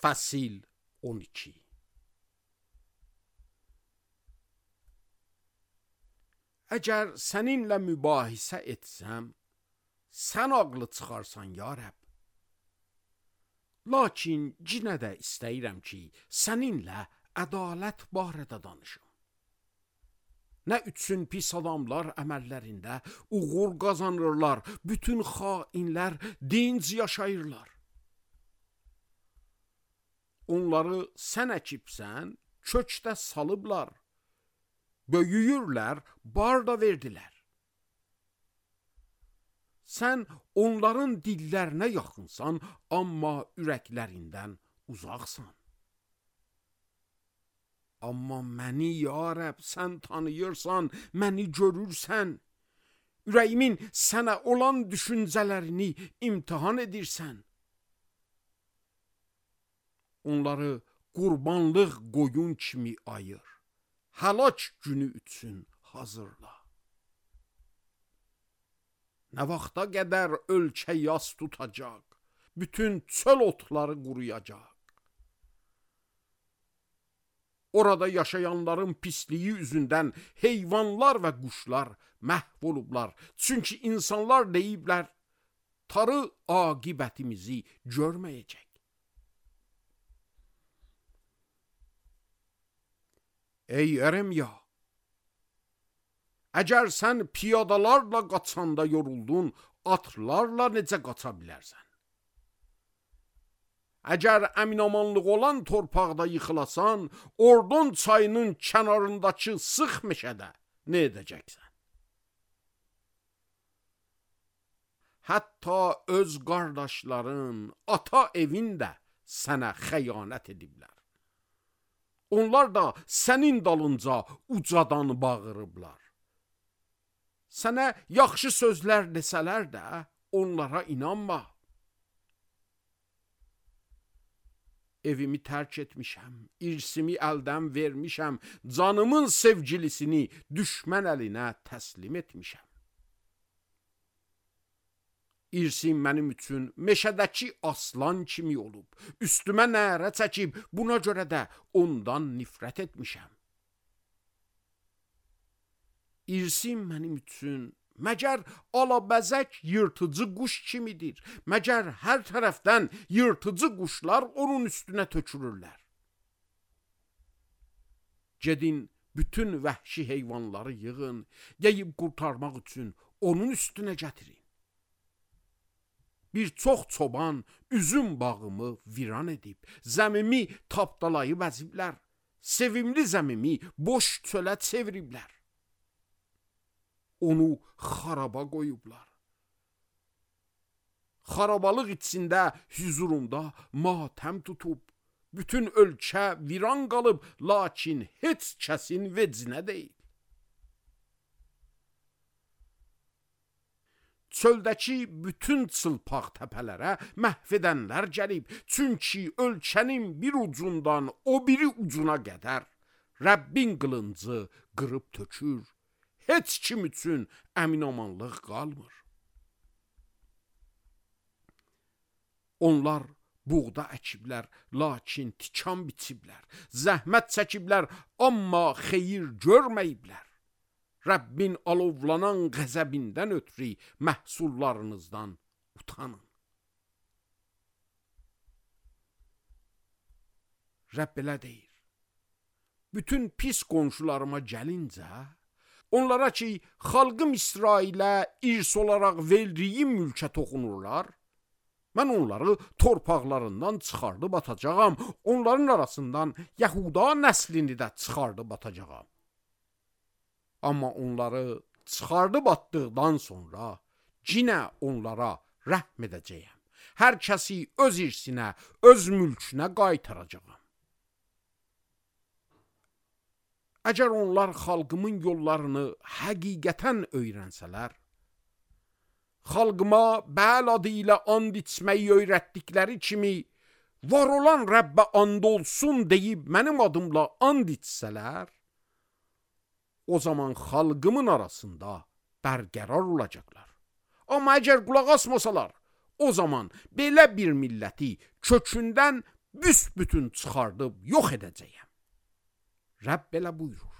Fəsil 12. Əgər səninlə mübahisə etsəm, sən ağlı çıxarsan ya Rəbb. Lakin yenə də istəyirəm ki, səninlə ədalət barədə danışım. Nə üçün pis adamlar əməllərində uğur qazanırlar, bütün xainlər dinc yaşayırlar. Onları sən əkibsən, kökdə salıblar, böyüyürlər, bar da verdilər. Sən onların dillərinə yaxınsan, amma ürəklərindən uzaqsan. Amma məni ya Rəbb sən tanıyırsan, məni görürsən. Ürəyimin sənə olan düşüncələrini imtihan edirsən. Onları qurbanlıq qoyun kimi ayır. Həlak günü üçün hazırla. Nə vaxta qədər ölkə yas tutacaq, bütün çöl otları quruyacaq. Orada yaşayanların pisliyi üzündən heyvanlar və quşlar məhv olublar. Çünki insanlar deyiblər, tarı aqibətimizi görməyəcək. Ey Ərəmya, əgər sən piyadalarla qaçanda yoruldun, atlarla necə qaça bilərsən? Əgər əminamanlıq olan torpaqda yıxılasan, Ordon çayının kənarındakı sıx meşədə nə edəcəksən? Hətta öz qardaşların, ata evində sənə xəyanət ediblər. Onlar da sənin dalınca ucadan bağırıblar. Sənə yaxşı sözlər desələr də onlara inanma. Evimi tərk etmişəm, irsimi əldən vermişəm, canımın sevgilisini düşmən əlinə təslim etmişəm. İrsim mənim üçün meşədəki aslan kimi olub, üstümə nərə çəkib, buna görə də ondan nifrət etmişəm. İrsim mənim üçün məgər alabəzək yırtıcı quş kimidir, məgər hər tərəfdən yırtıcı quşlar onun üstünə tökülürlər. Gedin bütün vəhşi heyvanları yığın, yeyib qurtarmaq üçün onun üstünə gətirin. Bir çox çoban üzüm bağımı viran edib, zəmimi tapdalayıb əziblər, sevimli zəmimi boş çölə çeviriblər. Onu xaraba qoyublar. Xarabalıq içində hüzurumda matəm tutub, bütün ölkə viran qalıb, lakin heç kəsin vecinə deyil. Çöldəki bütün çılpaq təpələrə məhv edənlər gəlib, çünki ölkənin bir ucundan o biri ucuna qədər Rəbbin qılıncı qırıb tökür. Heç kim üçün əminamanlıq qalmır. Onlar buğda əkiblər, lakin tikan biçiblər. Zəhmət çəkiblər, amma xeyir görməyiblər. Rəbbin alovlanan qəzəbindən ötürü məhsullarınızdan utanın. Rəbb elə deyir. Bütün pis qonşularıma gəlincə, onlara ki, xalqım İsrailə irs olaraq verdiyim mülkə toxunurlar, mən onları torpaqlarından çıxardıb atacağam, onların arasından Yəhuda nəslini də çıxardıb atacağam. Amma onları çıxardıb atdıqdan sonra yenə onlara rəhm edəcəyəm. Hər kəsi öz irsinə, öz mülkünə qaytaracağam. Əgər onlar xalqımın yollarını həqiqətən öyrənsələr, xalqıma Bəl adı ilə and içməyi öyrətdikləri kimi, var olan Rəbbə and olsun deyib mənim adımla and içsələr, o zaman xalqımın arasında bərqərar olacaqlar. Amma əgər qulaq asmasalar, o zaman belə bir milləti kökündən büsbütün çıxardıb yox edəcəyəm. Rəbb belə buyurur.